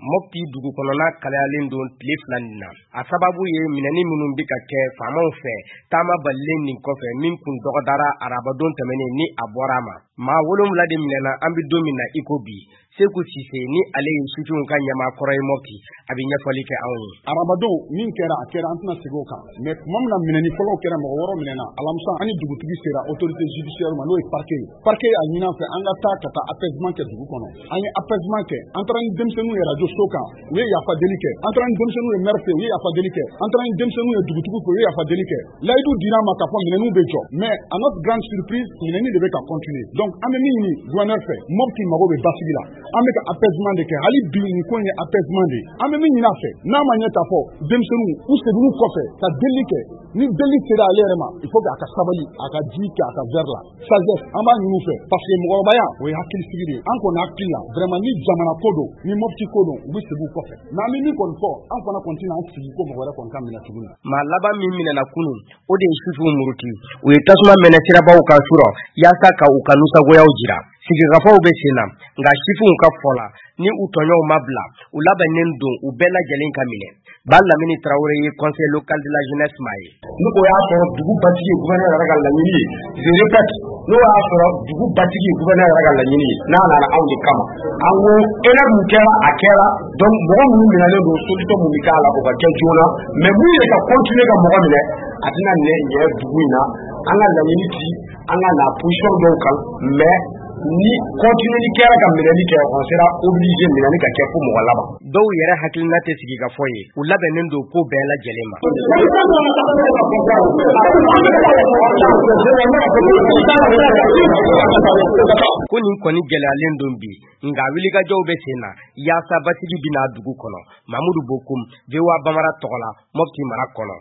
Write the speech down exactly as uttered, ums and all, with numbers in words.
Mopti dugu kɔnɔna kalayalen don tile fila nin na. A sababu ye minɛni minnu bɛ ka kɛ faamaw fɛ taama balilen nin kɔfɛ, min kun dɔgɔdara arabadon tɛmɛnen ni a bɔra a ma. Maa wolonwula de minɛna an bɛ don min na i ko bi. Seku Sise ni ale ye sifinw ka ɲɛmaa kɔrɔ ye Mopti, a bɛ ɲɛfɔli kɛ anw ye. Arabadon min kɛra, a kɛra, an tɛna segin o kan. Mais tuma min na minɛni fɔlɔw kɛra, mɔgɔ wɔɔrɔ minɛna, alamisa an ni dugutigi sera autorité judiciaire ma, n'o ye parquet ye. Parquet y'a ɲini an fɛ an ka taa ka taa apaisement kɛ dugu kɔnɔ. An ye apaisement kɛ, an taara ni denmisɛnninw ye radio so kan, u ye yafa deli kɛ. An taara ni denmisɛnninw ye maire fɛ, u ye yafa deli kɛ. An taara ni denmisɛnninw ye dugutigi fɛ, u ye yafa deli kɛ. Layidu dira an ma k'a fɔ minɛniw bɛ jɔ, mais à notre grande surprise, minɛni de bɛ ka continuer. Donc an bɛ min ɲini gouverneur fɛ, Mopti mago bɛ basigi la. An bɛ ka apaisement de kɛ hali bi, nin ko in ye apaisement de ye. An bɛ min ɲini a fɛ, n'a ma ɲɛ k'a fɔ denmisɛnninw u seginn'u kɔfɛ ka deli kɛ, ni deli sera ale yɛrɛ ma, il faut que a ka sabali, a ka ji kɛ a ka verre la. Sagesse an b'a ɲini u fɛ, parce que mɔgɔkɔrɔbaya o ye hakilisigi de ye. An kɔni hakili la, vraiment, ni jamana ko don, ni Mopti ko don, u bɛ segin u kɔfɛ. Mais an bɛ min kɔni fɔ, an fana kɔni tɛna an sigi ko mɔgɔ wɛrɛ kɔni ka minɛ tuguni. Maa laban min minɛna kunun, o de ye sifinw muruti. U ye tasuma mɛnɛ sirabaw kan surɔ yaasa ka u ka nusagoyaw jira. Sigikafɔw bɛ sen na, nka sifinw ka fɔ la, ni u tɔɲɔgɔnw ma bila, u labɛnnen don u bɛɛ lajɛlen ka minɛ. Ba Lamini Tarawele ye conseil local de la jeunesse maa ye. N'o y'a sɔrɔ dugu basigi ye gouverneur yɛrɛ ka laɲini ye, je répète, n'o y'a sɔrɔ dugu basigi ye gouverneur yɛrɛ ka laɲini ye, n'a nana anw de kama, an ko erreur mun kɛra, a kɛra. Donc mɔgɔ minnu minɛlen don, solution mun bɛ k'a la, o ka kɛ joona. Mais mun ye ka continuer ka mɔgɔ minɛ, a tɛna nɛ ɲɛ dugu in na. An ka laɲini ti an ka na position dɔw kan, mais ni continuer kɛra ka minɛli kɛ, on sera obligé minɛli ka kɛ fo mɔgɔ laban. Dɔw yɛrɛ hakilina tɛ sigi ka fɔ ye, u labɛnnen don ko bɛɛ lajɛlen ma. Ko nin kɔni gɛlɛyalen don bi, nka wulikajɔw bɛ sen na yaasa basigi bɛna dugu kɔnɔ. Mamudu Bokum, V O A Bamara tɔgɔ la, Mopti mara kɔnɔ.